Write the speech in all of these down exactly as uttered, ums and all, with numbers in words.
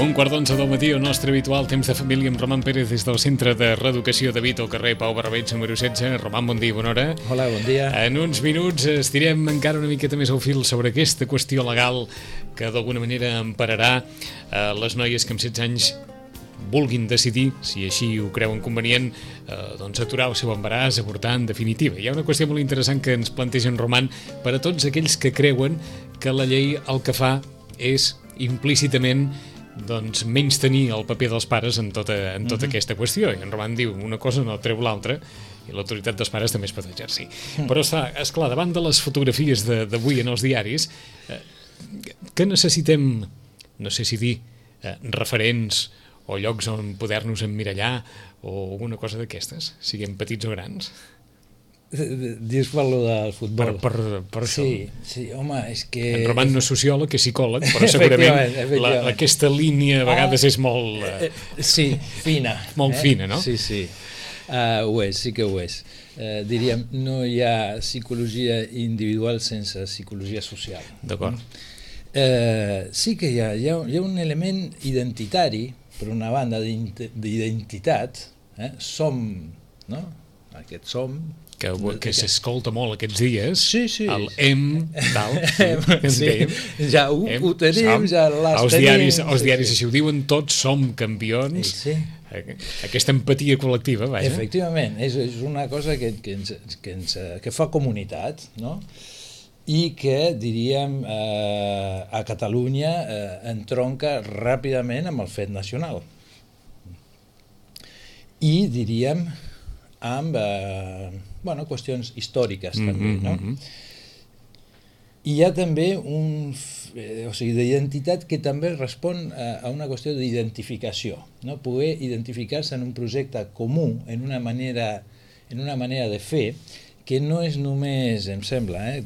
Un quart d'onze del matí, el nostre habitual temps de família amb Roman Pérez des del Centre de Reeducació de Vito, al carrer Pau Barrabeig, número setze. Roman, bon dia, bona hora. Hola, bon dia. En uns minuts estirem encara una miqueta més al fil sobre aquesta qüestió legal que d'alguna manera empararà eh, les noies que amb setze anys vulguin decidir, si així ho creuen convenient, eh, doncs aturar el seu embaràs, avortar en definitiva. Hi ha una qüestió molt interessant que ens planteja en Roman per a tots aquells que creuen que la llei el que fa és implícitament doncs menys tenir el paper dels pares en tota, en tota uh-huh. aquesta qüestió. I en Roman diu, una cosa no treu l'altra, i l'autoritat dels pares també es pot exercir. Uh-huh. Però està, esclar, davant de les fotografies d'avui en els diaris, eh, que necessitem, no sé si dir, eh, referents o llocs on poder-nos emmirallar o alguna cosa d'aquestes, siguem petits o grans? Dius per lo del futbol. Per, per, per això. Sí, sí, home, és que... En Roman no és sociòleg, és psicòleg, però segurament efectivament, efectivament. La, aquesta línia a vegades ah, és molt... Eh, sí, fina. Molt eh? fina, no? Sí, sí. Uh, ho és, sí que ho és. Uh, diríem, no hi ha psicologia individual sense psicologia social. D'acord. Uh, sí que hi ha, hi ha, hi ha un element identitari, per una banda d'identitat, eh? Som, no? Aquest som... que, que s'escolta molt aquests dies, sí, sí. el hem, tal, sí, ja ho, hem, ho tenim, som, ja les els tenim. Diaris, els sí, diaris sí. així ho diuen, tots som campions, sí. Aquesta empatia col·lectiva, vaja. Efectivament, és, és una cosa que, que, ens, que, ens, que fa comunitat, no? I que, diríem, eh, a Catalunya eh, entronca ràpidament amb el fet nacional. I, diríem, amb eh, bueno, qüestions històriques mm-hmm, també, no? Mm-hmm. I hi ha també un, eh, o sigui, d'identitat que també respon a, a una qüestió d'identificació, no? Poder identificar-se en un projecte comú, en una manera, en una manera de fer, que no és només, em sembla, eh,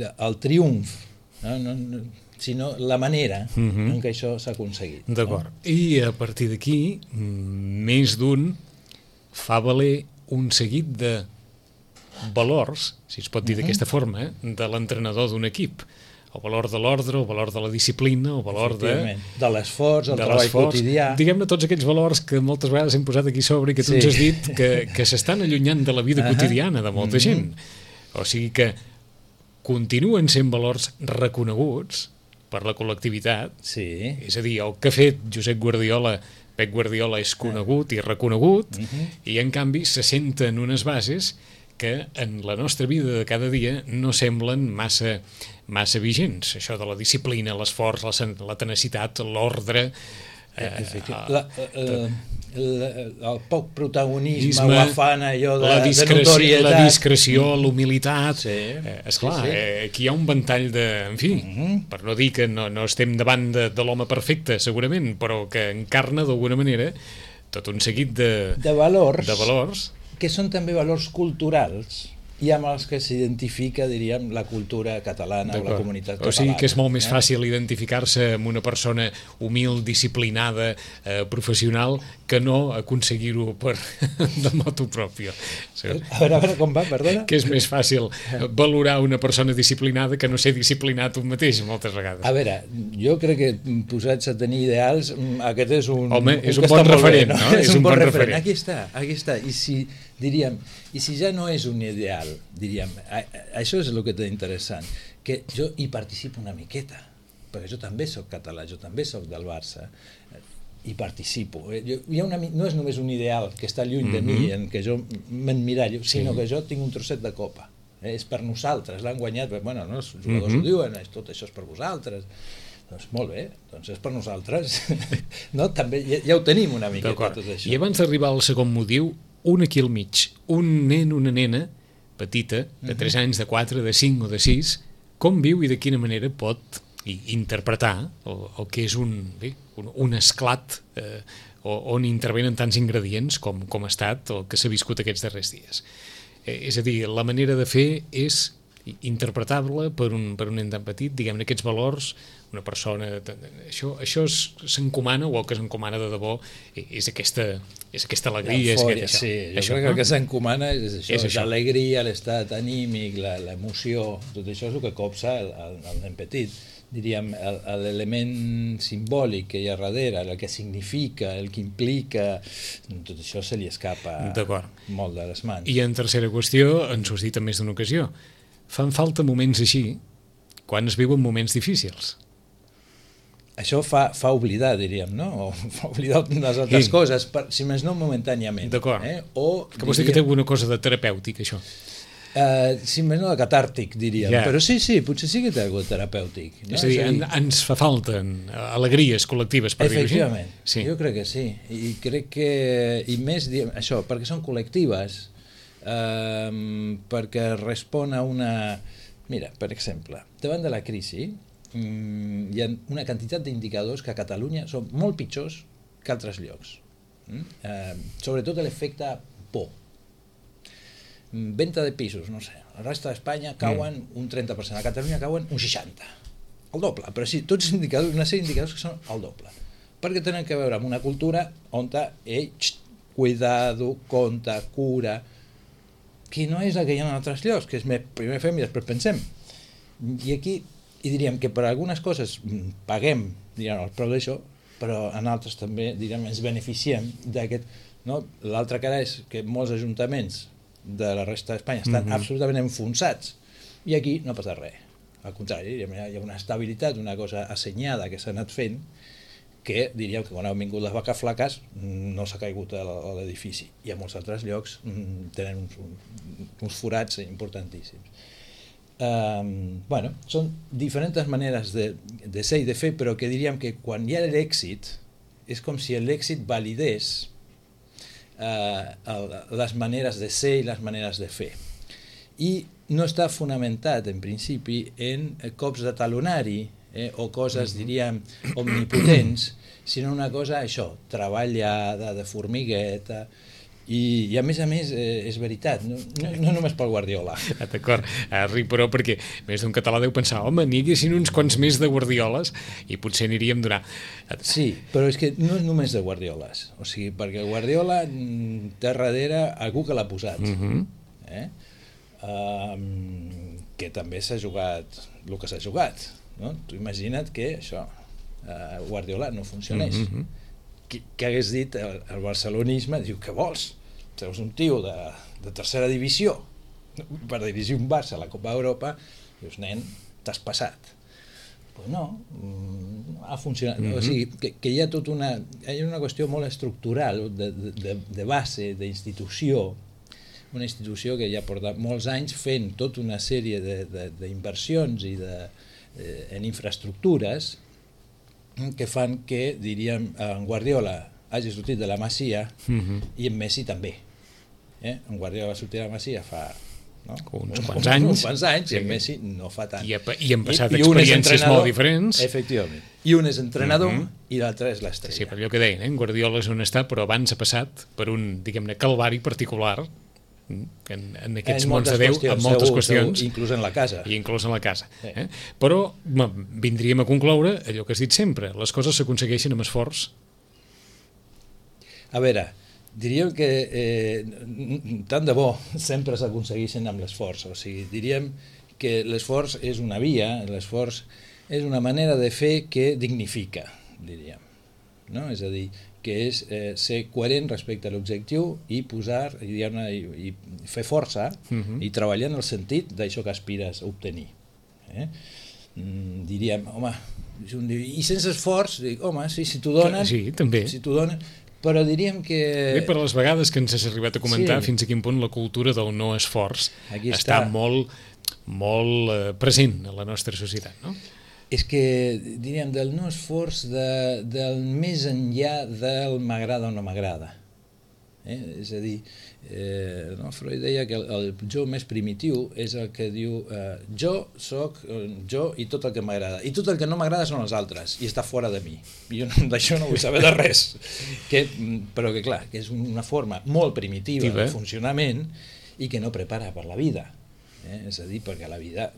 el triomf, no? No, no, sinó la manera mm-hmm. en què això s'ha aconseguit. D'acord. No? I a partir d'aquí, més d'un fa valer un seguit de valors, si es pot dir uh-huh. d'aquesta forma, eh, de l'entrenador d'un equip. El valor de l'ordre, el valor de la disciplina, el valor de... De l'esforç, el treball quotidià. Diguem-ne tots aquells valors que moltes vegades hem posat aquí sobre i que tu sí. ens has dit que, que s'estan allunyant de la vida uh-huh. quotidiana de molta uh-huh. gent. O sigui que continuen sent valors reconeguts per la col·lectivitat. Sí. És a dir, el que ha fet Josep Guardiola, Pep Guardiola és conegut i reconegut uh-huh. i en canvi se senten unes bases que en la nostra vida de cada dia no semblen massa, massa vigents. Això de la disciplina, l'esforç, la, la tenacitat, l'ordre... Eh, la, eh, el, el poc protagonisme o afana allò de, la de notorietat. La discreció, l'humilitat... Sí, eh, esclar, sí, sí. Eh, aquí hi ha un ventall de... En fi, uh-huh. per no dir que no, no estem davant de, de l'home perfecte, segurament, però que encarna d'alguna manera tot un seguit de... De valors. De valors. Que són també valors culturals i amb els que s'identifica, diríem, la cultura catalana o la comunitat catalana. O sigui que és molt més fàcil identificar-se amb una persona humil, disciplinada, eh, professional, que no aconseguir-ho per de motu propio. A veure, a veure com va, perdona. Que és més fàcil valorar una persona disciplinada que no ser disciplinat un mateix, moltes vegades. A veure, jo crec que posats a tenir ideals, aquest és un... Home, és un, un bon referent, bé, no? no? És, és un bon referent. referent. Aquí està, aquí està. I si, diríem, i si ja no és un ideal, diríem, això és el que té interessant, que jo hi participo una miqueta, perquè jo també soc català, jo també soc del Barça, hi participo. Jo, hi ha una, no és només un ideal que està lluny mm-hmm. de mi, en què jo m'emmirallo, sinó sí. que jo tinc un trosset de copa. Eh? És per nosaltres, l'han guanyat, bueno, no, els jugadors mm-hmm. ho diuen, tot això és per vosaltres. Doncs molt bé, doncs és per nosaltres. No? També ja, ja ho tenim una miqueta, tot això. I abans d'arribar al segon motiu, un aquí al mig, un nen, una nena petita, de tres anys, de quatre, de cinc o de sis, com viu i de quina manera pot interpretar el, el que és un, bé, un, un esclat eh, on intervenen tants ingredients com, com ha estat el que s'ha viscut aquests darrers dies. Eh, és a dir, la manera de fer és interpretable per un, per un nen tan petit, diguem-ne, aquests valors, una persona... Això, això s'encomana, o el que s'encomana de debò és aquesta, és aquesta alegria. És Eufòria, aquest, això, sí. Jo això, crec no? que el que s'encomana és això, És això. l'alegria, l'estat anímic, la- l'emoció, tot això és el que copsa el, el, el nen petit. Diríem, el- l'element simbòlic que hi ha darrere, el que significa, el que implica, tot això se li escapa D'acord. molt de les mans. I en tercera qüestió, ens ho has dit en més d'una ocasió, fan falta moments així quan es viuen moments difícils. Això fa, fa oblidar, diríem, no? O fa oblidar les altres Sí. coses, per, si més no momentàniament. D'acord. Eh? O, Que vols dir que té alguna cosa de terapèutic, això? Uh, si més no de catàrtic, diríem. Ja. Però sí, sí, potser sí que té algun terapèutic. No? És a dir, en, ens fa falta alegries col·lectives, per dir-ho així. Efectivament, Sí. jo crec que sí. I crec que, i més, diem, això, perquè són col·lectives, eh, perquè respon a una... Mira, per exemple, davant de la crisi, mm, hi ha una quantitat d'indicadors que a Catalunya són molt pitjors que altres llocs. Mm? Eh, sobretot l'efecte por. Mm, Venta de pisos, no sé, a la resta d'Espanya cauen mm. un trenta per cent, a Catalunya cauen un seixanta per cent. El doble, però sí, tots els indicadors, una sèrie d'indicadors que són el doble. Perquè tenen que veure amb una cultura on ei, xt, cuidado, compte, cura, que no és la que hi ha en altres llocs, que és més, primer fem i després pensem. I aquí, i diríem que per algunes coses paguem, diríem, el preu d'això, però en altres també, diríem, ens beneficiem d'aquest... No? L'altra cara és que molts ajuntaments de la resta d'Espanya estan mm-hmm. absolutament enfonsats i aquí no passa res. Al contrari, hi ha una estabilitat, una cosa assenyada que s'ha anat fent que diríem que quan han vingut les vaques flaques no s'ha caigut a l'edifici i a molts altres llocs tenen uns, uns forats importantíssims. Um, bueno, són diferents maneres de, de ser i de fer, però que diríem que quan hi ha l'èxit és com si l'èxit validés uh, el, les maneres de ser i les maneres de fer. I no està fonamentat, en principi, en cops de talonari eh, o coses, diríem, omnipotents, sinó una cosa, això, treballada, de formigueta, i, i a més a més eh, és veritat, no, no, no només pel Guardiola. Ah, d'acord, ah, ric, però perquè més d'un català deu pensar, home, n'hi haguessin uns quants més de Guardioles i potser aniríem donar... Sí, però és que no és només de Guardioles, o sigui, perquè el Guardiola té darrere algú que l'ha posat, Uh-huh. eh? Um, que també s'ha jugat el que s'ha jugat, no? Tu imagina't que això, uh, Guardiola no funcionés. Uh-huh. Qui, qui hagués dit el, el barcelonisme, diu, què vols? Treus un tio de, de tercera divisió per dirigir un Barça a la Copa d'Europa, dius, nen, t'has passat. Pues no, ha funcionat. Uh-huh. O sigui, que, que hi ha tot una, hi ha una qüestió molt estructural de, de, de base, d'institució, una institució que ja porta molts anys fent tota una sèrie d'inversions i de, eh, en infraestructures que fan que, diríem, en Guardiola hagi sortit de la Masia Uh-huh. i en Messi també. Eh? En Guardiola va sortir de la Masia fa no? uns quants anys, uns quants anys sí. I en Messi no fa tant. I, ha, i han passat I, i experiències molt diferents. Efectivament. I un és entrenador Uh-huh. i l'altre és l'estrella. Sí, per allò que deien, eh? Guardiola és on està, però abans ha passat per un, diguem-ne, calvari particular en, en aquests mons de Déu, en moltes segur, qüestions, segur, inclús en la casa. i inclús en la casa. Sí. Eh? Però ma, vindríem a concloure allò que has dit sempre, les coses s'aconsegueixen amb esforç. A veure, diríem que eh, tant de bo sempre s'aconsegueixen amb l'esforç, o sigui, diríem que l'esforç és una via, l'esforç és una manera de fer que dignifica, diríem, no? És a dir, que és eh, ser coherent respecte a l'objectiu i posar, i, i, i fer força uh-huh. i treballar en el sentit d'això que aspires a obtenir. Eh? Mm, diríem, home, i sense esforç, dic, home, sí, si t'ho donen, sí, també. Si t'ho donen, però diríem que... Bé, per les vegades que ens has arribat a comentar sí. fins a quin punt la cultura del no esforç Aquí està està. molt, molt eh, present a la nostra societat, no? És que, diríem, del no esforç, de, del més enllà del m'agrada o no m'agrada. Eh? És a dir, eh, no? Freud deia que el, el jo més primitiu és el que diu eh, jo soc jo i tot el que m'agrada. I tot el que no m'agrada són els altres, i està fora de mi. I jo d'això no vull saber de res. Que, però que, clar, que és una forma molt primitiva de funcionament i que no prepara per la vida. Eh? És a dir, perquè a la vida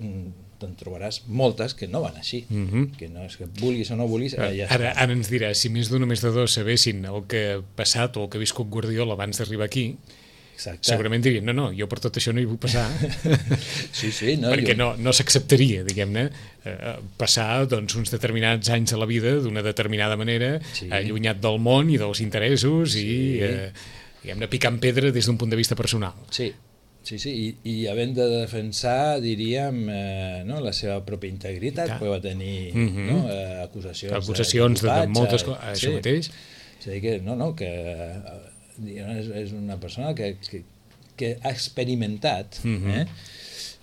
te'n trobaràs moltes que no van així, uh -huh. que no és que vulguis o no vulguis, ara, ja ara, ara ens diràs, si més d'un o més de dos sabessin el que ha passat o el que ha viscut Guardiola abans d'arribar aquí, exacte, segurament dirien, no, no, jo per tot això no hi vull passar. Sí, sí, no, perquè jo... no, no s'acceptaria, diguem-ne, eh, passar doncs, uns determinats anys de la vida d'una determinada manera, sí, allunyat del món i dels interessos, sí, i eh, diguem-ne, picant pedra des d'un punt de vista personal. Sí, sí, sí, i, i havent de defensar, diríem, eh, no, la seva pròpia integritat, perquè va tenir uh -huh. no, eh, acusacions, acusacions de, de, de moltes coses, això sí. mateix. És a dir que, no, no, que és, és una persona que, que, que ha experimentat. Uh -huh. eh?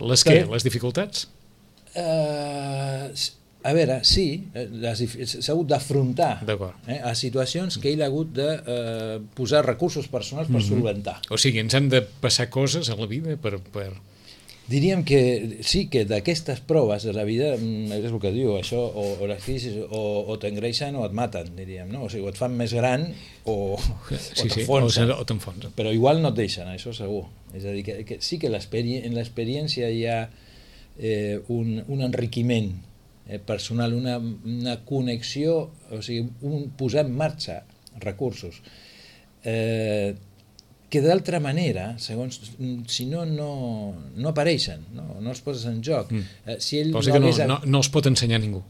Les què? Les dificultats? Uh, a veure, sí, s'ha hagut d'afrontar eh, a situacions que ell ha hagut de uh, posar recursos personals per uh -huh. solventar. O sigui, ens han de passar coses a la vida per... per... Diríem que sí, que d'aquestes proves de la vida, és el que diu, això, o, o les crisis o, o t'engreixen o et maten, diríem, no? O sigui, o et fan més gran o, sí, o t'enfonsen. Sí, o t'enfonsen. Però igual no et deixen, això segur. És a dir, que, que sí que en l'experiència hi ha eh, un, un enriquiment eh, personal, una, una connexió, o sigui, un posar en marxa recursos. Eh, que d'altra manera, segons, si no, no, no apareixen, no, no els poses en joc. Mm. Eh, si ell Vols dir no que no, hagués... no, no els pot ensenyar ningú.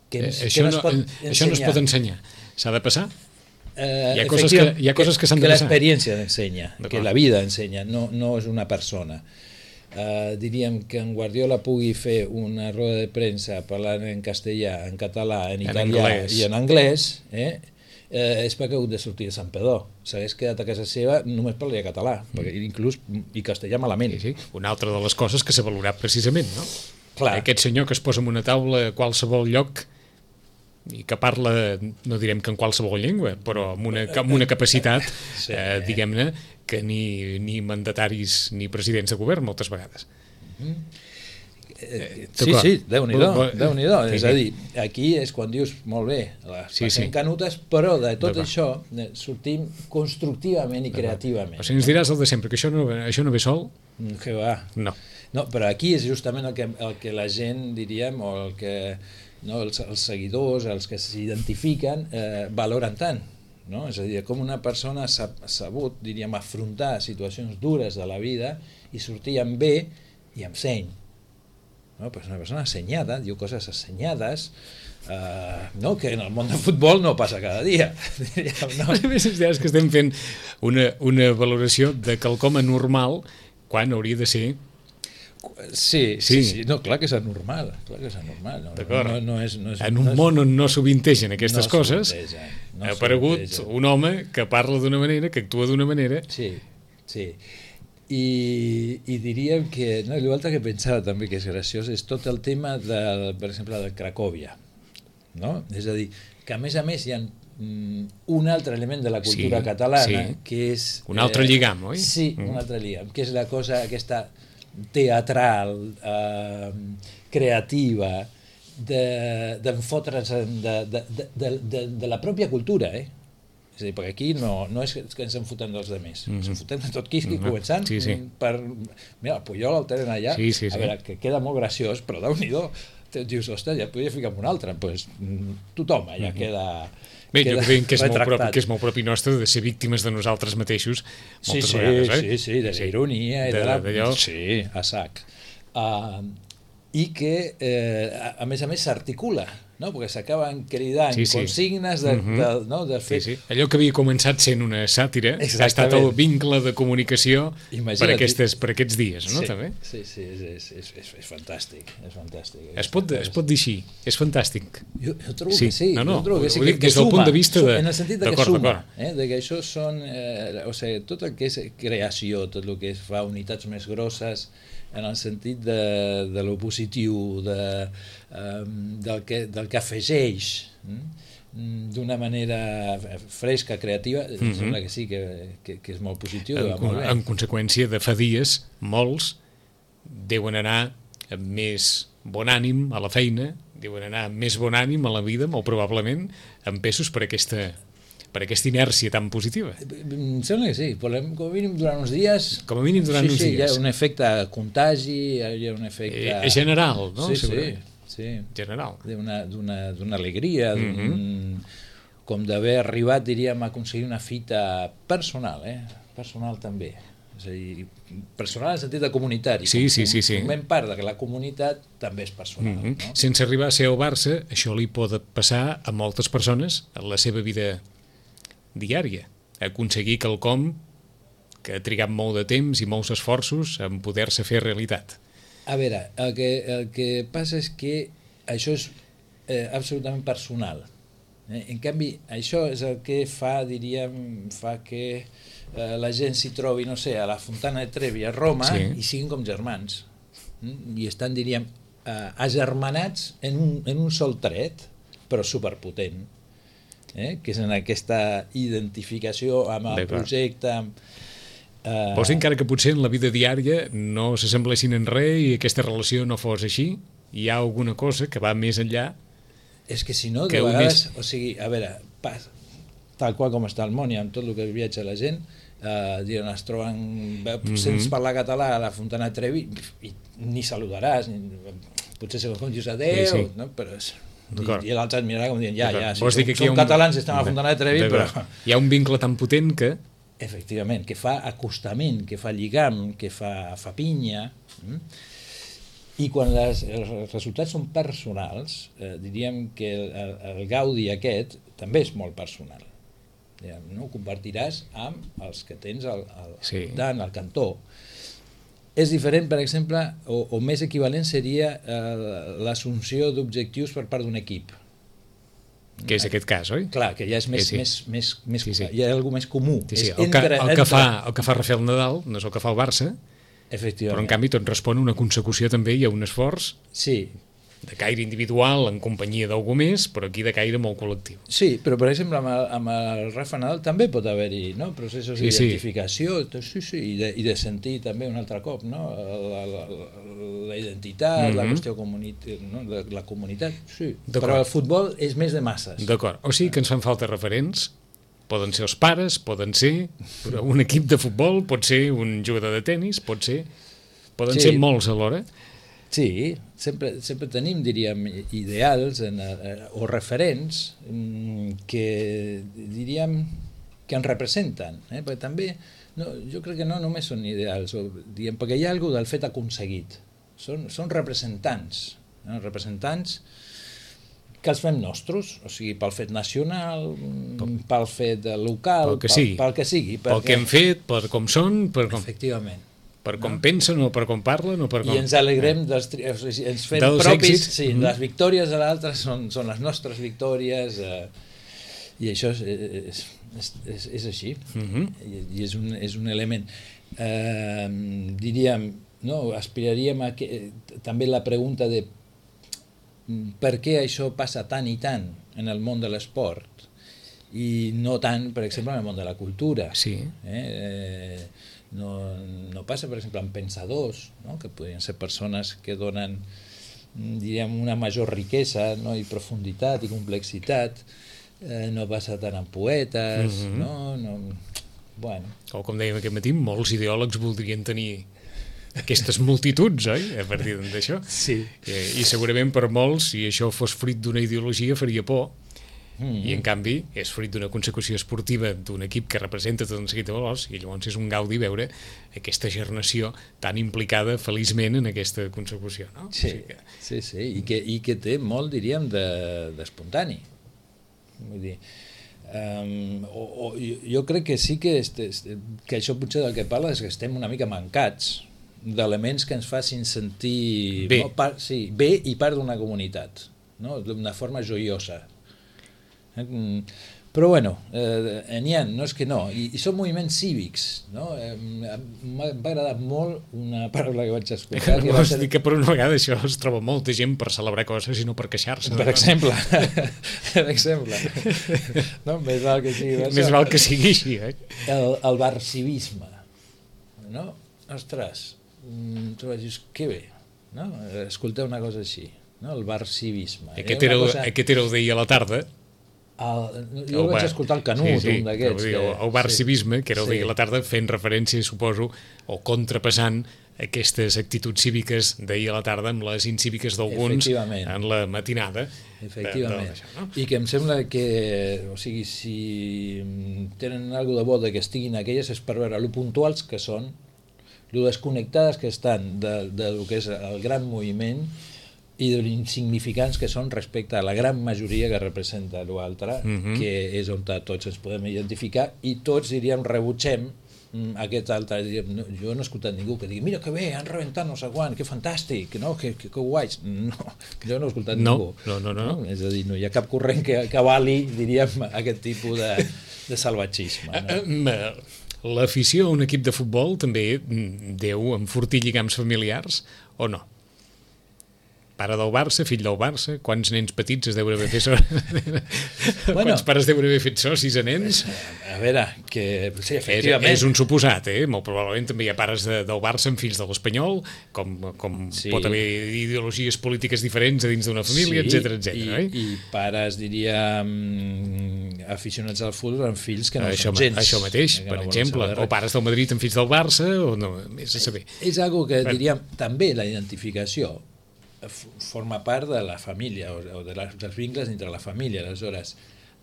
Que, eh, que això, no no, es pot això no es pot ensenyar. S'ha de passar? Eh, hi ha coses que, hi ha coses que s'han de passar. passar. Que l'experiència ensenya, que la vida ensenya, no, no és una persona. Uh, diríem que en Guardiola pugui fer una roda de premsa parlant en castellà, en català, en, en italià anglès. I en anglès, eh? Eh, és perquè ha hagut de sortir de Santpedor. S'hagués quedat a casa seva només parlaria català, mm. perquè inclús i castellà malament. Sí, sí. Una altra de les coses que s'ha valorat precisament, no? Clar. Aquest senyor que es posa en una taula a qualsevol lloc i que parla, no direm que en qualsevol llengua, però amb una, amb una capacitat, sí. eh, diguem-ne, que ni, ni mandataris ni presidents de govern moltes vegades. Mm. Eh, sí, sí, Déu-n'hi-do, Déu-n'hi-do. Sí, és a dir, aquí és quan dius, molt bé, les sí, passem sí. canutes, però de tot això sortim constructivament i creativament. O sigui, ens diràs el de sempre, que això no, això no ve sol? Que va. No. No, però aquí és justament el que, el que la gent, diríem, o el que no, els, els seguidors, els que s'identifiquen, eh, valoren tant. No? És a dir, com una persona s'ha sabut, diríem, afrontar situacions dures de la vida i sortir amb bé i amb seny. No, pues una persona assenyada, diu coses assenyades, uh, no, que en el món del futbol no passa cada dia. Diríem, no? A més, és que estem fent una, una valoració de quelcom anormal quan hauria de ser... Sí, sí, sí, sí. No, clar que és anormal, clar que és anormal. No, D'acord. No, no és, no és, en un no és, món on no sovintegen aquestes no coses, no ha aparegut un home que parla d'una manera, que actua d'una manera... Sí, sí. I, i diríem que, no, l'altre que pensava també que és graciós és tot el tema, del, per exemple, de Cracòvia, no? És a dir, que a més a més hi ha mm, un altre element de la cultura sí, catalana, sí. que és... Un altre eh, lligam, oi? Sí, mm. un altre lligam, que és la cosa aquesta teatral, eh, creativa, d'enfotre's de, de, de, de, de, de la pròpia cultura, eh? És a dir, perquè aquí no, no és que ens en fotem dels altres, mm -hmm. ens en fotem de tot Quisqui, mm -hmm. començant sí, sí. per... Mira, el Puyol el tenen allà, sí, sí, sí. a veure, que queda molt graciós, però Déu-n'hi-do, dius, ostres, ja podria ficar un altre, doncs tothom allà mm -hmm. queda... Bé, jo crec que és, molt propi, que és molt propi nostre de ser víctimes de nosaltres mateixos moltes sí, sí, vegades, eh? Sí, sí, de la ironia i de, de la... D'allò. Sí, a sac. Uh, I que, eh, a, a més a més, s'articula, no? Perquè s'acaben cridant sí, sí. consignes de, mm-hmm. de, no? de fer... Sí, sí. Allò que havia començat sent una sàtira ha estat el vincle de comunicació per, aquestes, per aquests dies, no? Sí, també? sí, sí, és, és, és, és fantàstic. És fantàstic es, pot, es pot dir així, és fantàstic. Jo, jo trobo sí. que sí. No, no, jo trobo que sí, ho que, dic des del punt de vista de... En el sentit de que suma, eh? De que això són... Eh, o sigui, tot el que és creació, tot el que es fa unitats més grosses, en el sentit de, de lo positiu, de, um, del, que, del que afegeix mm? d'una manera fresca, creativa, mm-hmm. em sembla que sí, que, que, que és molt positiu. En, molt bé. En conseqüència, de fa dies, molts deuen anar amb més bon ànim a la feina, deuen anar amb més bon ànim a la vida, molt probablement, empesos per aquesta per aquesta inèrcia tan positiva. Em sembla que sí, volem, com a mínim durant uns dies... Com a mínim durant sí, uns sí, dies. Hi ha un efecte contagi, hi ha un efecte... Eh, general, no? Sí, Segurament. sí, sí. General. D'una alegria, d'un... Mm-hmm. com d'haver arribat, diríem, a aconseguir una fita personal, eh? Personal també. És a dir, personal en el sentit de comunitari. Sí, sí, sí, sí. Formem part de que la comunitat també és personal. Mm-hmm. No? Sense arribar a ser el Barça, això li pot passar a moltes persones en la seva vida diària. Aconseguir quelcom que ha trigat molt de temps i molts esforços en poder-se fer realitat. A veure, el que, el que passa és que això és eh, absolutament personal. Eh? En canvi, això és el que fa, diríem, fa que eh, la gent s'hi trobi, no sé, a la Fontana de Trevi, a Roma, sí. I siguin com germans. Mm? I estan, diríem, eh, agermanats en un, en un sol tret, però superpotent. Eh? Que és en aquesta identificació amb el projecte... Amb, eh... Vols dir encara que potser en la vida diària no s'assemblessin en res i aquesta relació no fos així? Hi ha alguna cosa que va més enllà? És que si no, de vegades, o sigui, a veure, pas, tal qual com està el món i amb tot el que viatja la gent, eh, diuen, es troben, mm-hmm. sents parlar català a la Fontana de Trevi i ni saludaràs, ni, potser se com dius adeu, sí, sí. No? Però és, i, i l'altre et mirarà com dient, ja, ja, si som, som un... catalans i estem a la Fontana de Trevi, però... Hi ha un vincle tan potent que... Efectivament, que fa acostament, que fa lligam, que fa, fa pinya... Mm? I quan les, els resultats són personals, eh, diríem que el, el, el gaudi aquest també és molt personal. Diguem, no? Ho compartiràs amb els que tens al, al, sí. al, al cantó. És diferent, per exemple, o, o més equivalent seria eh, l'assumpció d'objectius per part d'un equip. Que és aquest cas, oi? Clar, que ja és més, sí, sí. més, més, més sí, sí. hi ha alguna més comú. Sí, sí. És el, que, entre, el, que entre... fa, el que fa Rafael Nadal no és el que fa el Barça, però en canvi tot respon a una consecució també i a un esforç sí. de caire individual en companyia d'algú més, però aquí de caire molt col·lectiu. Sí, però per exemple amb el, amb el Rafa Nadal també pot haver-hi, no? Processos sí, d'identificació sí. Sí, sí, i, de, i de sentir també un altre cop, no? la, la, la identitat, mm-hmm. la qüestió comunitària, no? de la comunitat, sí. Però el futbol és més de masses. D'acord, o sigui que ens fan falta referents. Poden ser els pares, poden ser un equip de futbol, pot ser un jugador de tennis, pot ser... Poden sí. ser molts alhora. Sí, sempre, sempre tenim, diríem, ideals en, o referents que, diríem, que ens representen. Eh? Perquè també, no, jo crec que no només són ideals, o, diguem, perquè hi ha alguna del fet aconseguit. Són, són representants, no? Representants que els fem nostres, o sigui, pel fet nacional, pel fet local, pel que sigui, pel, pel que sigui perquè... pel que hem fet, per com són, per com... Efectivament. Per com no? pensen o per com parlen o per com... I ens alegrem, dels, o sigui, ens fem dels propis, èxits. Sí, mm-hmm. Les victòries de l'altre són, són les nostres victòries, eh, i això és, és, és, és, és així, mm-hmm. I, i és, un, és un element. Eh, diríem, no, aspiraríem a que, també la pregunta de per què això passa tant i tant en el món de l'esport i no tant, per exemple, en el món de la cultura. Sí. Eh? Eh, no, no passa, per exemple, amb pensadors, no? Que podrien ser persones que donen, diríem, una major riquesa, no? I profunditat i complexitat. Eh, no passa tant amb poetes, mm-hmm. no? No... Bueno. O com dèiem aquest matí, molts ideòlegs voldrien tenir aquestes multituds, oi? A partir d'això. Sí. I, I segurament per molts, si això fos fruit d'una ideologia, faria por. Mm-hmm. I en canvi és fruit d'una consecució esportiva d'un equip que representa tot un seguit de valors, i llavors és un gaudi veure aquesta generació tan implicada feliçment en aquesta consecució, no? Sí, o sigui que... sí, sí. I, que, i que té molt, diríem, d'espontani. De, vull dir, um, o, o, jo crec que sí que, este, que això potser del que parla és que estem una mica mancats d'elements que ens facin sentir bé, no, part, sí, bé i part d'una comunitat, no? D'una forma joiosa. Però bueno, eh, n'hi ha, no és que no, i, i són moviments cívics, no? Eh, m'ha agradat molt una paraula que vaig escoltar. Que vols dir que per una vegada això es troba molta gent per celebrar coses i no per queixar-se. Per no? exemple, per exemple. No? Més val que sigui Més això. val que sigui així, eh? El, el barcivisme, no? Ostres, tu vas dir, que bé, no? Escoltar una cosa així, no? El barcivisme. Aquest era, cosa... aquest era el d'ahir a la tarda. El, jo el vaig escoltar el Canut, sí, sí, un d'aquests. Que... El bar sí, civisme, que era el sí. dia a la tarda, fent referència, suposo, o contrapassant aquestes actituds cíviques d'ahir a la tarda amb les incíviques d'alguns en la matinada. Efectivament. De, de no? I que em sembla que, o sigui, si tenen alguna de bo que estiguin aquelles és per veure lo puntuals que són, lo desconnectades que estan de, de lo que és el gran moviment i de l'insignificants que són respecte a la gran majoria que representa l'altre, uh-huh. que és on tots ens podem identificar i tots, diríem, rebutgem aquest altre, diríem, no, jo no he escoltat ningú que digui, mira que bé, han rebentat no sé quan, que fantàstic, no? que, que, que guais. No, jo no he escoltat no, ningú. No, no, no, no. És a dir, no hi ha cap corrent que, que avali, diríem, aquest tipus de, de salvatgisme. No? L'afició a un equip de futbol també deu enfortir lligams familiars o no? Pare del Barça, fill del Barça, quants nens petits es deuen haver fet socis? Bueno, quants pares deuen haver fet socis a nens? A veure, que sí, efectivament... És, és un suposat, eh? Molt probablement també hi ha pares de, del Barça amb fills de l'Espanyol, com, com sí. pot haver ideologies polítiques diferents a dins d'una família, sí, etcètera, etcètera. I, eh? I pares, diríem, aficionats al futbol amb fills que no això, són gens. Això mateix, per no exemple, o pares del Madrid amb fills del Barça, o no, més a saber. És algo que, diríem, també la identificació forma part de la família o de les, dels vincles entre la família. Aleshores,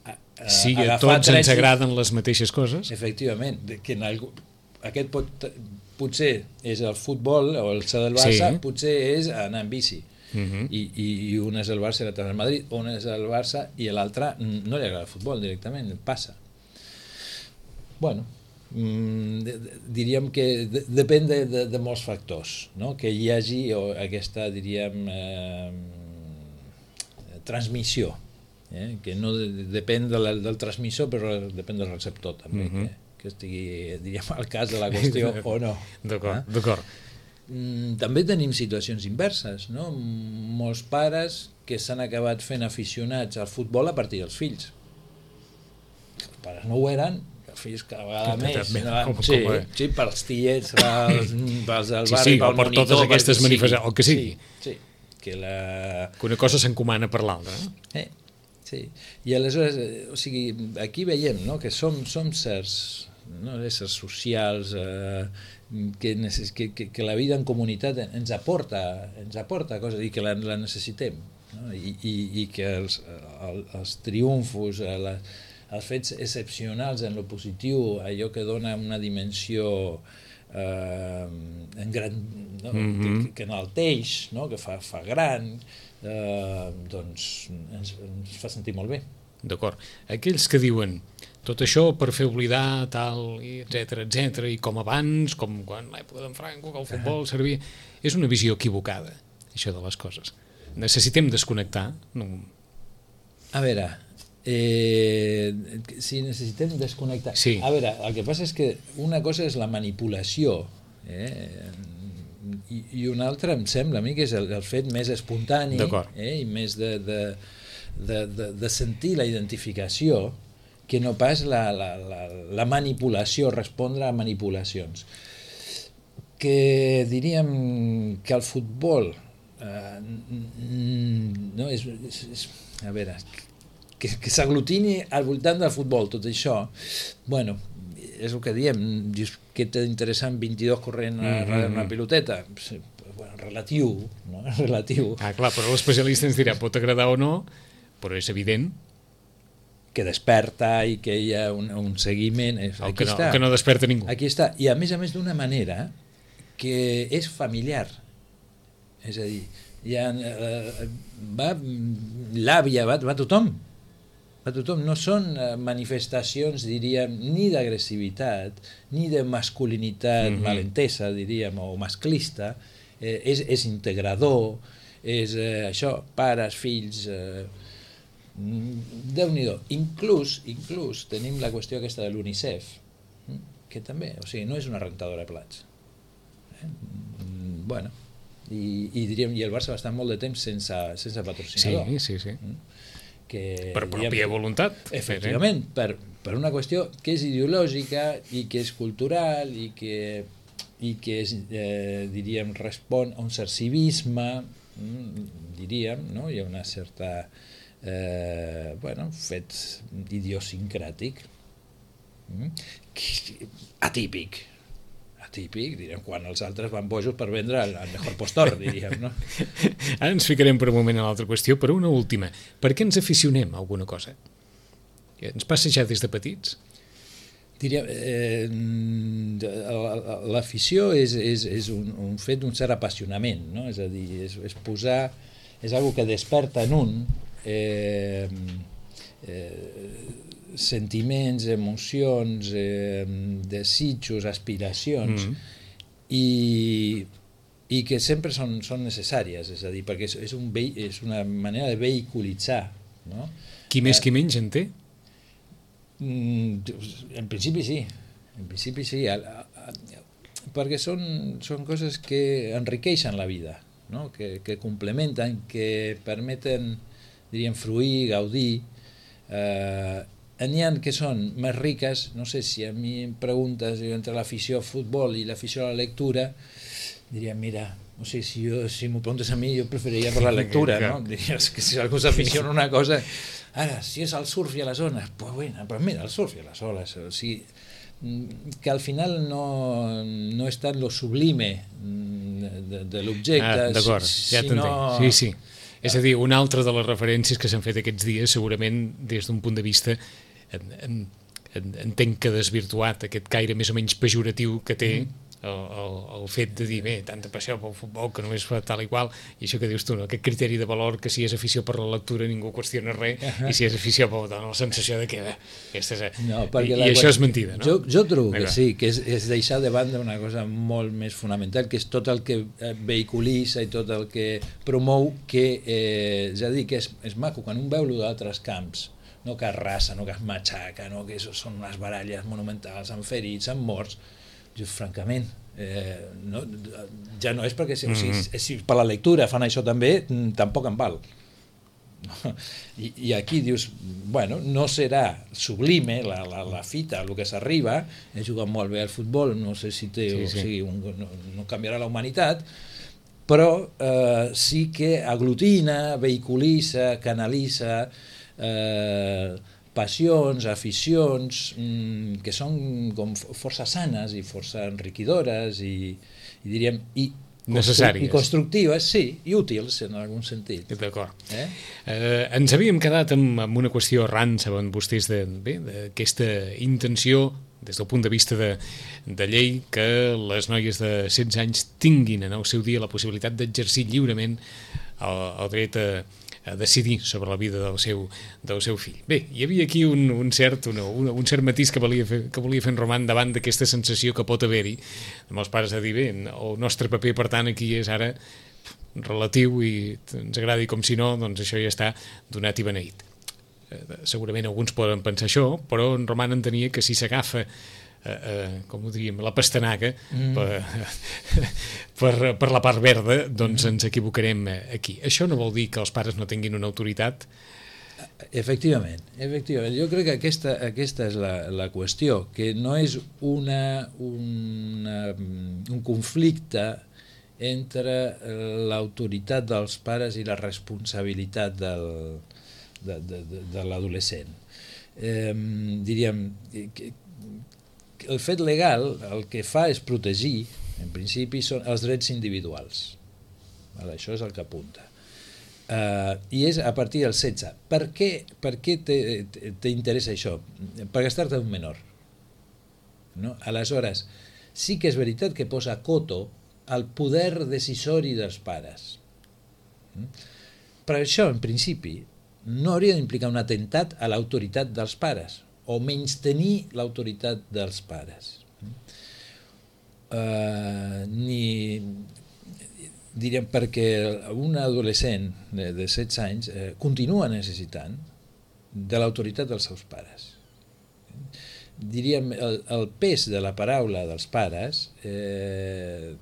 a, a, sí, a tots drets, ens agraden les mateixes coses. Efectivament, que en algú, aquest pot, potser és el futbol o el ser del Barça, sí. potser és anar en bici. Uh-huh. I, i, i un és el Barça i l'altre és el Madrid, un és el Barça i l'altre no li agrada el futbol directament, passa. Bueno, diríem que de, depèn de, de, de molts factors, no? Que hi hagi aquesta, diríem, eh, transmissió, eh? Que no de, depèn de la, del transmissor, però depèn del receptor també, uh-huh. que, que estigui, diríem, al cas de la qüestió o no. D'acord, eh? d'acord. També tenim situacions inverses, no? Molts pares que s'han acabat fent aficionats al futbol a partir dels fills. Els pares no ho eren, fills cada vegada més, com, sí, com sí, pels tiets, pels, pels del barri, sí, sí, pel per monitor, totes aquestes manifestacions, el que sigui. Sí, sí, que, la... que una cosa s'encomana per l'altra. Eh? Eh, sí, i aleshores, o sigui, aquí veiem, no?, que som, som certs, no?, éssers socials, eh, que, necess... que, que, que la vida en comunitat ens aporta, ens aporta coses i que la, la necessitem, no? I, i, i que els, el, els triomfos, la, els fets excepcionals en lo positiu, allò que dona una dimensió eh, en gran, no? mm-hmm. que, que enalteix, no? Que fa, fa gran, eh, doncs ens, ens fa sentir molt bé. D'acord. Aquells que diuen tot això per fer oblidar tal, etcètera, etcètera, i com abans, com quan l'època d'en Franco, que el futbol servia... És una visió equivocada, això de les coses. Necessitem desconnectar. No... A veure... Eh, si necessitem desconnectar. Sí. A veure, el que passa és que una cosa és la manipulació, eh, i, i una altra em sembla a mi que és el, el fet més espontani, eh, i més de, de, de, de, de sentir la identificació que no pas la, la, la, la manipulació, respondre a manipulacions. Que diríem que el futbol eh, no, és, és, és a veure... que, que s'aglutini al voltant del futbol, tot això, bueno, és el que diem, dius, què té d'interessant vint-i-dos corrent a mm-hmm. una piloteta? Bueno, relatiu, no? Relatiu. Ah, clar, però l'especialista ens dirà, pot agradar o no, però és evident que desperta i que hi ha un, un seguiment. El aquí que, no, està. que no desperta ningú. Aquí està, i a més a més d'una manera que és familiar, és a dir, hi ha, eh, va l'àvia, va, va tothom, a tothom, no són manifestacions, diríem, ni d'agressivitat, ni de masculinitat mm-hmm. malentesa, diríem, o masclista, eh, és, és integrador, és eh, això, pares, fills, eh, Déu-n'hi-do. Inclús, inclús tenim la qüestió aquesta de l'UNICEF, que també, o sigui, no és una rentadora de plats. Eh? Bueno, i, i diríem, i el Barça va estar molt de temps sense, sense patrocinador. Sí, sí, sí. Que, per pròpia diguem, voluntat. Efectivament, eh? per, per una qüestió que és ideològica i que és cultural i que, i que és, eh, diríem, respon a un cert civisme, mm, diríem, no? Hi ha una certa eh, bueno, fet idiosincràtic, mm? atípic, atípic, direm, quan els altres van bojos per vendre el, el mejor postor, diríem, no? Ara ens ficarem per un moment a l'altra qüestió, però una última. Per què ens aficionem a alguna cosa? Ens passa ja des de petits? Diria, eh, l'afició és, és, és un, un fet d'un cert apassionament, no? És a dir, és, és posar, és algo que desperta en un eh, eh, sentiments, emocions, eh, desitjos, aspiracions, mm. i, i que sempre són, són necessàries, és a dir, perquè és, és, un ve, és una manera de vehiculitzar, no? Qui més qui menys en té? En principi sí, en principi sí, perquè són, són coses que enriqueixen la vida, no? que, que complementen, que permeten, diríem, fruir, gaudir. Eh, n'hi ha que són més riques, no sé si a mi em preguntes entre l'afició al futbol i l'afició a la lectura, diria, mira, o sigui, si, jo, si m'ho preguntes a mi, jo preferiria per la lectura, no? Diries que si algú s'aficiona una cosa... Ara, si és el surf i a les ones, pues bueno, però mira, el surf i a les ones, o sigui, que al final no, no és tant lo sublime de, de l'objecte, ah, d'acord, ja sinó... Sí, sí. És a dir, una altra de les referències que s'han fet aquests dies, segurament des d'un punt de vista, en, en, en, entenc que desvirtuat aquest caire més o menys pejoratiu que té, mm. El, el, el fet de dir, bé, tanta passió pel futbol que només fa tal i qual, i això que dius tu, no? Aquest criteri de valor que si és afició per la lectura ningú qüestiona res, uh -huh. i si és afició per la sensació de que bé, aquesta és... No, i, i això és mentida, no? Jo, jo trobo que sí, que és, és deixar de banda una cosa molt més fonamental, que és tot el que vehiculitza i tot el que promou, que eh, ja dic, és, és maco quan un veu d'altres camps, no que arrasa, no que es matxaca, no que són unes baralles monumentals amb ferits, amb morts. Jo, francament, eh, no, ja no és perquè si, mm-hmm. si, si per la lectura fan això també, tampoc en val. I, i aquí dius, bueno, no serà sublime la, la, la fita, el que s'arriba, he jugat molt bé al futbol, no sé si té, sí, sí. O sigui, un, no, no canviarà la humanitat, però eh, sí que aglutina, vehiculitza, canalitza, eh, passions, aficions, mmm, que són com força sanes i força enriquidores i, i diríem i, necessàries. I constructives, sí, i útils en algun sentit. D'acord. Eh? Eh, ens havíem quedat amb, amb una qüestió arran, saben vostès, d'aquesta intenció, des del punt de vista de, de llei, que les noies de setze anys tinguin en el seu dia la possibilitat d'exercir lliurement el, el dret a a decidir sobre la vida del seu, del seu fill. Bé, hi havia aquí un, un, cert, una, un cert matís que volia fer, que volia fer en Roman davant d'aquesta sensació que pot haver-hi amb els pares de dir, bé, el nostre paper, per tant, aquí és ara relatiu i ens agradi com si no, doncs això ja està donat i beneït. Eh, segurament alguns poden pensar això, però en Roman entenia que si s'agafa Uh, uh, com ho diríem, la pastanaga mm. per, per, per la part verda, doncs mm. ens equivocarem aquí. Això no vol dir que els pares no tinguin una autoritat? Efectivament, efectivament. Jo crec que aquesta, aquesta és la, la qüestió, que no és una, una, un conflicte entre l'autoritat dels pares i la responsabilitat del, de, de, de, de l'adolescent. Eh, diríem que el fet legal el que fa és protegir, en principi, són els drets individuals. Això és el que apunta. Uh, I és a partir del setze. Per què, per què t'interessa això? Perquè es tracta d'un menor. No? Aleshores, sí que és veritat que posa coto al poder decisori dels pares. Però això, en principi, no hauria d'implicar un atemptat a l'autoritat dels pares, o menys tenir l'autoritat dels pares. Uh, ni, diríem, perquè un adolescent de, de setze anys eh, continua necessitant de l'autoritat dels seus pares. Diríem, el, el pes de la paraula dels pares eh,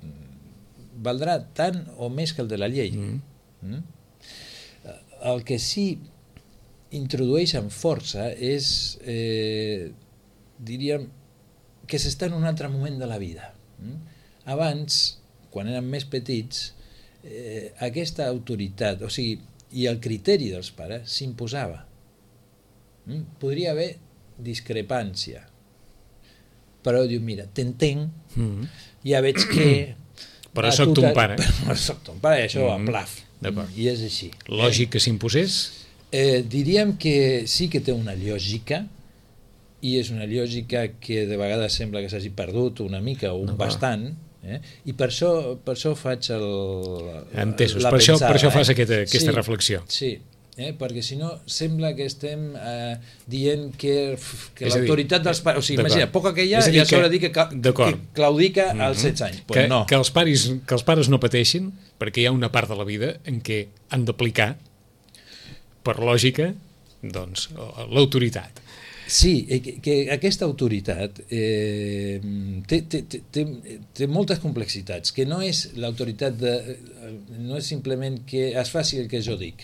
valdrà tant o més que el de la llei. Mm. Mm? El que sí introdueix amb força és, eh, diríem, que s'està en un altre moment de la vida. Abans, quan érem més petits, eh, aquesta autoritat, o sigui, i el criteri dels pares s'imposava. Mm? Podria haver discrepància, però diu, mira, t'entenc, mm-hmm. ja veig que... Però soc ton pare. Però soc ton pare, i això mm-hmm. a plaf. I és així. Lògic que s'imposés? Eh, diríem que sí que té una lògica, i és una lògica que de vegades sembla que s'hagi perdut una mica o un no, bastant, eh? I per això, per això faig el, Entesos, la per, pensada, això, per això fas eh? aquesta, aquesta sí, reflexió. Sí, eh? Perquè si no sembla que estem eh, dient que, que l'autoritat dels pares... O sigui, imagina, poca que hi ha, ja s'haurà de dir que, que claudica mm-hmm. als setze anys. Pues que, no. que, els pares, que els pares no pateixin, perquè hi ha una part de la vida en què han d'aplicar, per lògica, doncs, l'autoritat. Sí, que, que aquesta autoritat eh, té, té, té, té moltes complexitats, que no és l'autoritat de, no és simplement que es faci el que jo dic.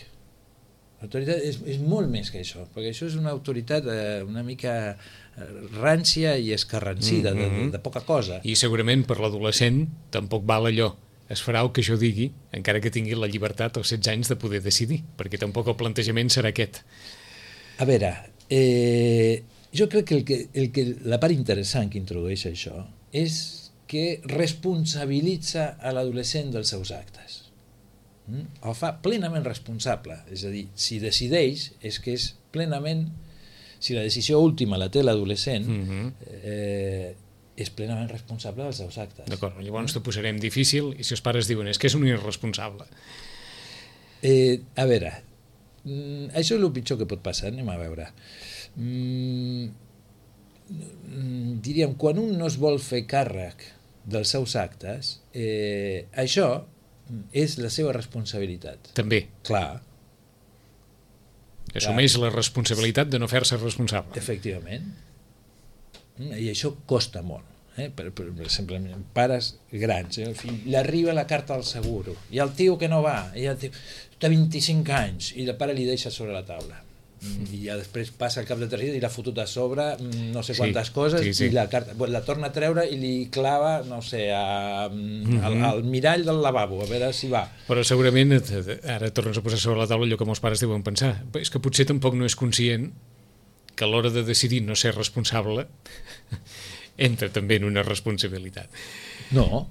L'autoritat és, és molt més que això, perquè això és una autoritat eh, una mica rància i escarransida, mm-hmm. de, de poca cosa. I segurament per l'adolescent tampoc val allò. Es farà el que jo digui, encara que tingui la llibertat als setze anys de poder decidir, perquè tampoc el plantejament serà aquest. A veure, eh, jo crec que, el que, el que la part interessant que introdueix això és que responsabilitza a l'adolescent dels seus actes. Mm? El fa plenament responsable, és a dir, si decideix és que és plenament, si la decisió última la té l'adolescent, mm-hmm. eh, és plenament responsable dels seus actes. D'acord, llavors t'ho posarem difícil i si els pares diuen és que és un irresponsable. Eh, a veure, mm, això és el pitjor que pot passar, anem a veure. Mm, diríem, quan un no es vol fer càrrec dels seus actes, eh, això és la seva responsabilitat. També. Clar. Assumeix la responsabilitat de no fer-se responsable. Efectivament. I això costa molt, eh? per, per, per exemple, pares grans, eh? El fill, li arriba la carta al seguro i el tio que no va, i el tio té vint-i-cinc anys i el pare li deixa sobre la taula mm. i ja després passa el cap de tres dies i l'ha fotut a sobre no sé quantes sí, coses sí, sí. I la carta la torna a treure i li clava no sé, a, mm-hmm. al, al mirall del lavabo a veure si va. Però segurament ara tornes a posar sobre la taula allò que molts pares deuen pensar, és que potser tampoc no és conscient que a l'hora de decidir no ser responsable entra també en una responsabilitat. No,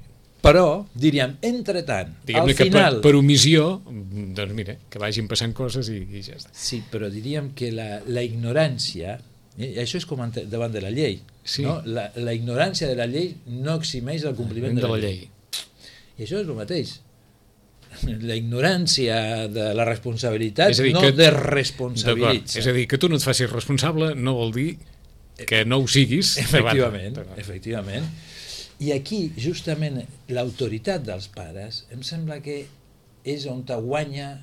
però, diríem, entre tant, diguem-ne al final... que per, per omissió, doncs mira, que vagin passant coses i, i ja està. Sí, però diríem que la, la ignorància, eh, això és com davant de la llei, sí. No? La, la ignorància de la llei no eximeix del compliment de, de la, la llei. llei. I això és el mateix. La ignorància de la responsabilitat dir, no que, desresponsabilitza. És a dir, que tu no et facis responsable no vol dir que no ho siguis. Efectivament, efectivament. I aquí, justament, l'autoritat dels pares em sembla que és on te guanya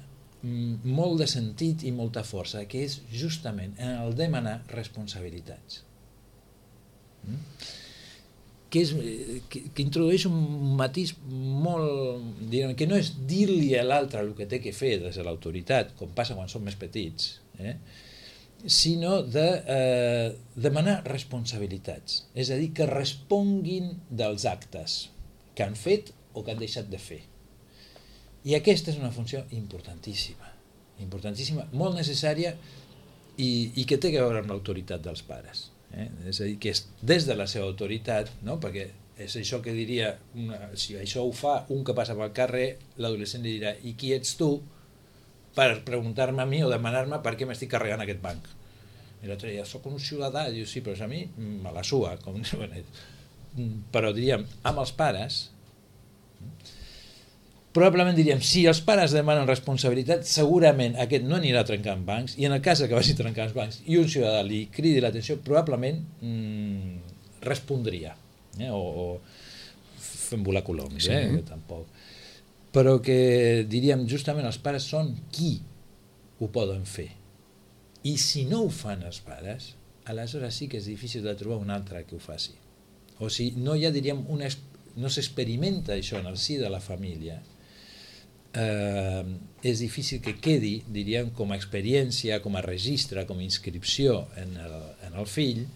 molt de sentit i molta força, que és justament en el demanar responsabilitats. Mm? Que, és, que, que introdueix un matís molt... Diguem, que no és dir-li a l'altre el que té que fer des de l'autoritat, com passa quan som més petits, eh? Sinó de eh, demanar responsabilitats. És a dir, que responguin dels actes que han fet o que han deixat de fer. I aquesta és una funció importantíssima, importantíssima, molt necessària i, i que té a veure amb l'autoritat dels pares. Eh? És a dir, que és des de la seva autoritat, no? Perquè és això que diria, una, si això ho fa un que passa pel carrer, l'adolescent li dirà, i qui ets tu per preguntar-me a mi o demanar-me per què m'estic carregant aquest banc? I l'altre diria, soc un ciutadà, i diu, sí, però a mi me la sua, com... però diríem, amb els pares, probablement diríem, si els pares demanen responsabilitat, segurament aquest no anirà trencant bancs, i en el cas que vagi trencant bancs i un ciutadà li cridi l'atenció, probablement mmm, respondria, eh? o, o fent volar coloms, sí. eh? Tampoc. Però que diríem, justament els pares són qui ho poden fer. I si no ho fan els pares, aleshores sí que és difícil de trobar un altre que ho faci. O sigui, no hi ha, diríem, una, no s'experimenta això en el si de la família, eh, és difícil que quedi, diríem, com a experiència, com a registre, com a inscripció en el, en el fill,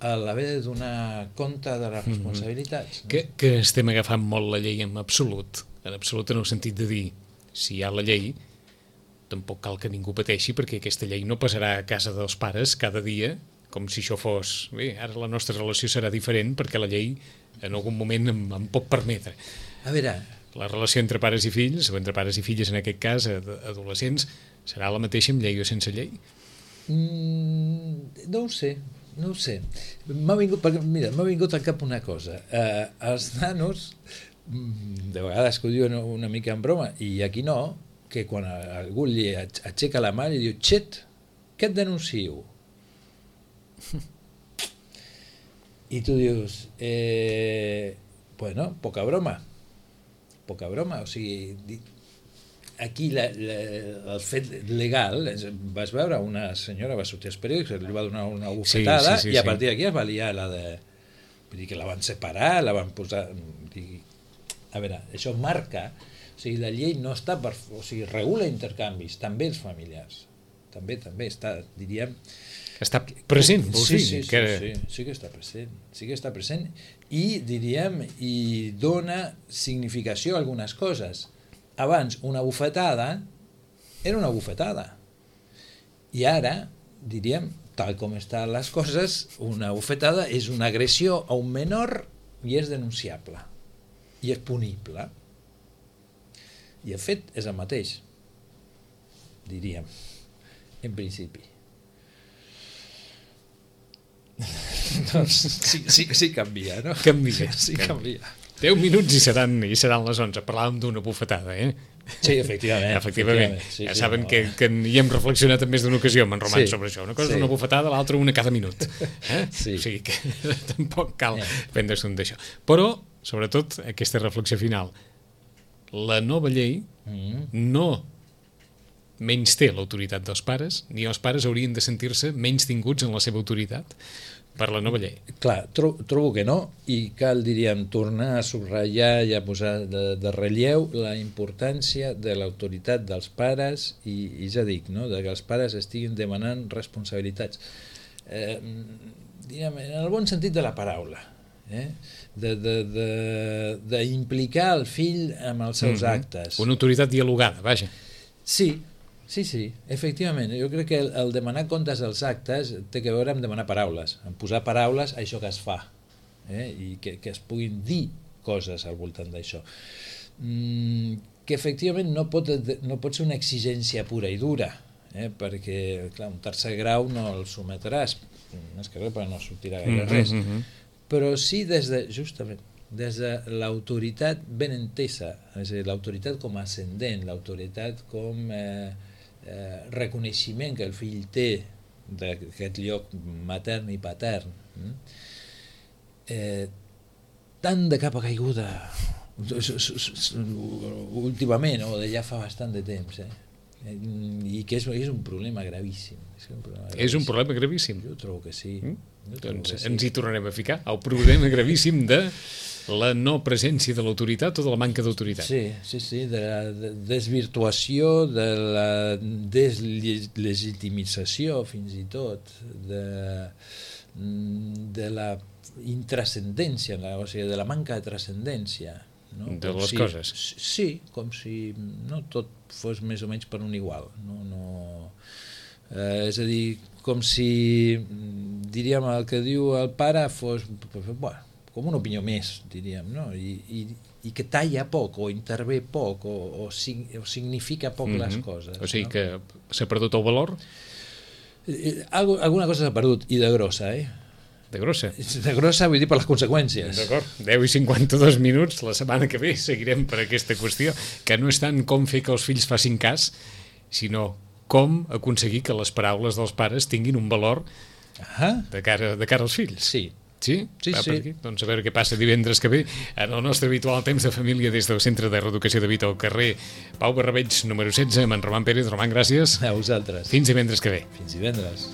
a l'haver de donar compte de les responsabilitats. Mm-hmm. No? Que, que estem agafant molt la llei en absolut, en absolut en el sentit de dir, si hi ha la llei, tampoc cal que ningú pateixi, perquè aquesta llei no passarà a casa dels pares cada dia, com si això fos... Bé, ara la nostra relació serà diferent, perquè la llei en algun moment em, em pot permetre. A veure... La relació entre pares i fills, o entre pares i filles en aquest cas, adolescents, serà la mateixa amb llei o sense llei? Mm, no ho sé, no ho sé. M'ha vingut, perquè, mira, m'ha vingut al cap una cosa. Eh, els nanos, de vegades que ho diuen una mica en broma, i aquí no, que quan algú li aixeca la mà i diu, xet, què et denuncio? I tu dius, eh, bueno, poca broma. Poca broma, o sigui, aquí la, la, el fet legal, vas veure, una senyora va sortir als periòdics, li va donar una bufetada, sí, sí, sí, i a partir d'aquí es va liar la de... Vull dir que la van separar, la van posar... A veure, això marca... O sigui, la llei no està per... O sigui, regula intercanvis, també els familiars. També, també, està, diríem... Està present, vols sí, dir? Sí, sí, que... sí, sí que està present, sí que està present i, diríem, i dona significació a algunes coses. Abans, una bufetada era una bufetada. I ara, diríem, tal com estan les coses, una bufetada és una agressió a un menor i és denunciable. I és punible. I el fet és el mateix, diríem, en principi. Doncs sí, sí, sí canvia, no? Canvia. Sí, canvia. deu minuts i seran, i seran les onze. Parlàvem d'una bufetada, eh? Sí, efectivament. Efectivament. efectivament. Sí, ja sí, saben no. que, que hi hem reflexionat en més d'una ocasió amb en Roman sí, sobre això. Una cosa sí. és una bufetada, l'altra una cada minut. Eh? Sí. O sigui que tampoc cal yeah. prendre's un d'això. Però, sobretot, aquesta reflexió final. La nova llei mm. no menys té l'autoritat dels pares, ni els pares haurien de sentir-se menys tinguts en la seva autoritat per la nova llei. Clar, tro trobo que no, i cal, diríem, tornar a subratllar i a posar de, de relleu la importància de l'autoritat dels pares i, i ja dic, no?, de que els pares estiguin demanant responsabilitats. Eh, diríem, en el bon sentit de la paraula, eh? d'implicar el fill amb els seus mm-hmm. actes. Una autoritat dialogada, vaja. Sí, sí, sí, efectivament. Jo crec que el, el demanar comptes dels actes té a veure amb demanar paraules, amb posar paraules a això que es fa, eh? I que, que es puguin dir coses al voltant d'això. Mm, que efectivament no pot, no pot ser una exigència pura i dura, eh? Perquè, clar, un tercer grau no el sometràs, més que res, però no sortirà gaire res. Mm-hmm. Però sí des de, justament, des de l'autoritat ben entesa, és a dir, l'autoritat com a ascendent, l'autoritat com eh, eh, reconeixement que el fill té d'aquest lloc matern i patern, eh, tant de capa caiguda últimament, o de ja fa bastant de temps, eh? I que és, és un problema gravíssim. És un problema gravíssim. És un problema gravíssim? Jo trobo que sí. Mm? Doncs que sí. Ens hi tornarem a ficar. El problema gravíssim de la no presència de l'autoritat o de la manca d'autoritat. Sí, sí, sí, de la desvirtuació, de la deslegitimització, fins i tot, de, de la intrascendència, o sigui, de la manca de transcendència. No? De com les si, coses. Sí, com si no tot fos més o menys per un igual. No, no, eh, és a dir, com si, diríem, el que diu el pare fos, bueno, com una opinió més, diríem, no? I, i, i que talla poc, o intervé poc, o, o, sig, o significa poc mm-hmm. les coses. O sigui no? que s'ha perdut el valor? Eh, alguna cosa s'ha perdut, i de grossa, eh? De grossa. De grossa vull dir per les conseqüències. D'acord, deu i cinquanta-dos minuts, la setmana que ve seguirem per aquesta qüestió, que no és tant com fer que els fills facin cas, sinó com aconseguir que les paraules dels pares tinguin un valor ah. de, cara, de cara als fills. Sí. Sí? Sí, Va sí. per aquí? Doncs a veure què passa divendres que ve en el nostre habitual temps de família des del Centre de Reeducació de Vita al carrer Pau Barrabeig, número setze, amb en Roman Pérez. Roman, gràcies. A vosaltres. Fins divendres que ve. Fins divendres.